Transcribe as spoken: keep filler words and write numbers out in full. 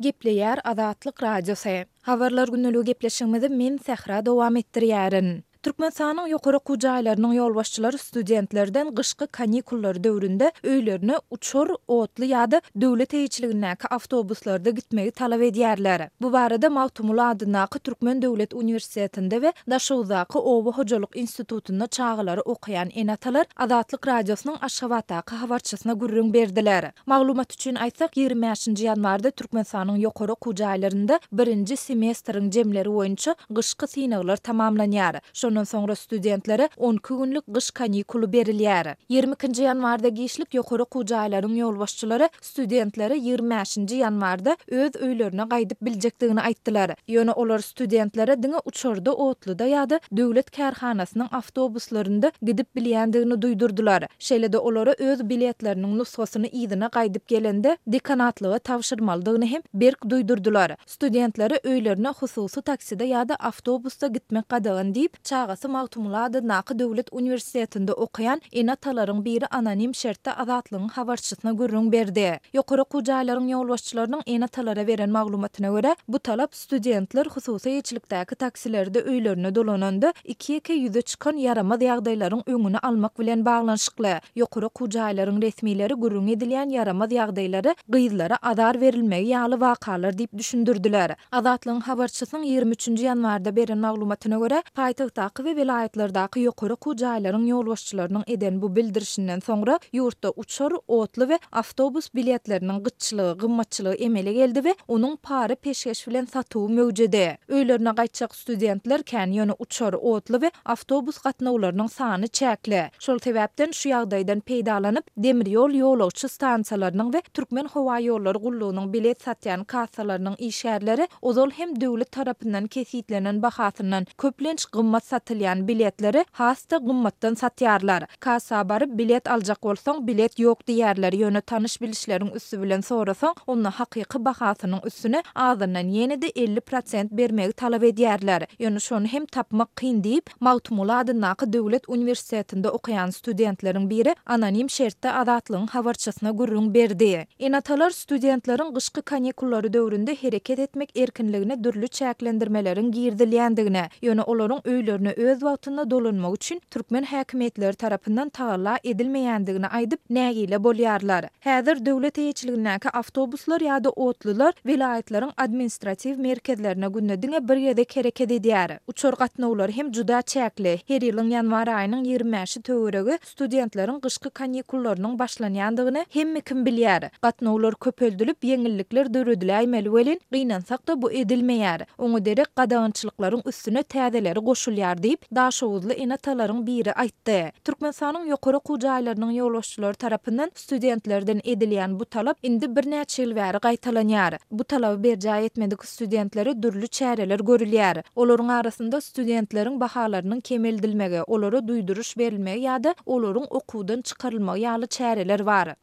Gepleýär Azatlyk Radiosy. Habarlar gündeligi gepleşigimizi men Sähra dowam etdirýärin. Türkmenistanyň ýokary okuw jaýlarynyň ýolbaşçylary studentlerden gyşky kanikullar döwründe öýlerine uçar, otly ýa-da döwlet eýeçiligindäki awtobuslarda gitmegi talap edýärler. Bu barada Magtymguly adyndaky Türkmen döwlet uniwersitetinde we Daşoguzdaky oba hojalyk institutynda çagalary okaýan ene-atalar Azatlyk Radiosynyň Aşgabatdaky habarçysyna gürrüň berdiler. Maglumat üçin aýtsak, ýigrimi bäşinji ýanwarda Türkmenistanyň ýokary okuw jaýlarynda birinji semestriň jemleri boýunça gyşky synaglar tamamlanýar. Şondan soňra studentlere on iki günlük gyş kanikuly berilýär. Ýigrimi ikinji ýanwarda giçlik ýokary okuw jaýlaryň ýolbaşçylary studentlere ýigrimi bäşinji ýanwarda öz öýlerine gaýdyp biljekdigini aýtdylar. Ýöne olar studentlere diňe uçarda, otluda ýa-da döwlet kärhanasynyň awtobuslarynda gidip bilýändigini duýdurdylar. Şeýle-de olara öz biletleriniň nusgasyny yzyna gaýdyp gelende dekanatlyga tabşyrmalydygyny hem berk duýdurdylar. Studentlere öýlerine hususy takside ýa-da awtobusda gitmek gadagan diýip, çagasy Magtymguly adyndaky döwlet uniwersitetinde okaýan ene-atalaryň biri anonim şertde Azatlygyň habarçysyna gürrüň berdi. Ýokary okuw jaýlaryň ýolbaşçylarynyň ene-atalara beren maglumatyna görä, bu talap studentler hususy eýeçilikdäki taksilerde öýlerine dolananda iki-ýeke ýüze çykan ýaramaz ýagdaýlaryň öňüni almak bilen baglanyşykly. Ýokary okuw jaýlaryň resmileri gürrüň edilýän ýaramaz ýagdaýlary gyzlara azar berilmegi ýaly wakalar diýip düşündirdiler. Azatlygyň habarçysynyň ýigrimi üçünji ýanwarda beren maglumatyna görä, paýtagtdaky we welaýatlardaky ýokary okuw jaýlaryň ýolbaşçylarynyň eden bu bildirişinden soňra ýurtda uçar, otly we awtobus biletleriniň gytçylygy, gymmatçylygy emele geldi we onuň para peşgeş bilen satuwy möwjedi. Öýlerine gaýtjak studentler kän, ýöne uçar, otly we awtobus gatnawlarynyň sany çäkli. Şol sebäpden şu ýagdaýdan peýdalanyp, demir ýol ýolagçy stansiýalarynyň we Türkmen howa ýollary gullugynyň bilet satýan kassalarynyň işgärleri ozal hem döwlet tarapyndan kesitlenen bahasyndan köplenç gymmat satylýan biletleri has-da gymmatdan satýarlar. Kassa baryp bilet aljak bolsaň, bilet ýok diýerler, ýöne tanyş bilişleriň üsti bilen sorasaň, onda hakyky bahasynyň üstüne azyndan ýene-de elli prosent bermegi talap edýärler. Ýöne şony hem tapmak kyn diýip, Magtymguly adyndaky döwlet uniwersitetinde okaýan studentleriň biri anonim şertde Azatlygyň habarçysyna gürrüň berdi. Ene-atalar studentleriň gyşky kanikullary döwründe hereket etmek erkinligine dürli çäklendirmeleriň girizilýändigine, ýöne olaryň öýlerine öz wagtynda dolanmak üçin türkmen häkimiýetleri tarapyndan tagalla edilmeýändigini aýdyp, nägile bolýarlar. Häzir döwlet eýeçiligindäki awtobuslar ýa-da otlular welaýatlaryň administratiw merkezlerine günde diňe bir gezek hereket edýär. Uçar gatnawlary hem juda çäkli. Her ýylyň ýanwar aýynyň ýigrimi bäşi töweregi studentleriň gyşky kanikullarynyň başlanýandygyny hemme kim bilýär. Gatnawlar köpeldilip, ýeňillikler dörediläýmeli welin, gynansak-da bu edilmeýär. Oňa derek gadagançylyklaryň üstüne täzeleri goşulýar diýip, Daşoguzly ene-atalaryň biri aýtdy. Türkmenistanyň ýokary okuw jaýlarynyň ýolbaşçylary tarapyndan studentlerden edilýän bu talap indi birnäçe ýyl bäri gaýtalanýar. Bu talaby berjaý etmedik studentlere dürli çäreler görülýär. Olaryň arasynda studentleriň bahalarynyň kemeldilmegi, olara duýduryş berilmegi ýa-da olaryň okuwdan çykarylmagy ýaly çäreler bar.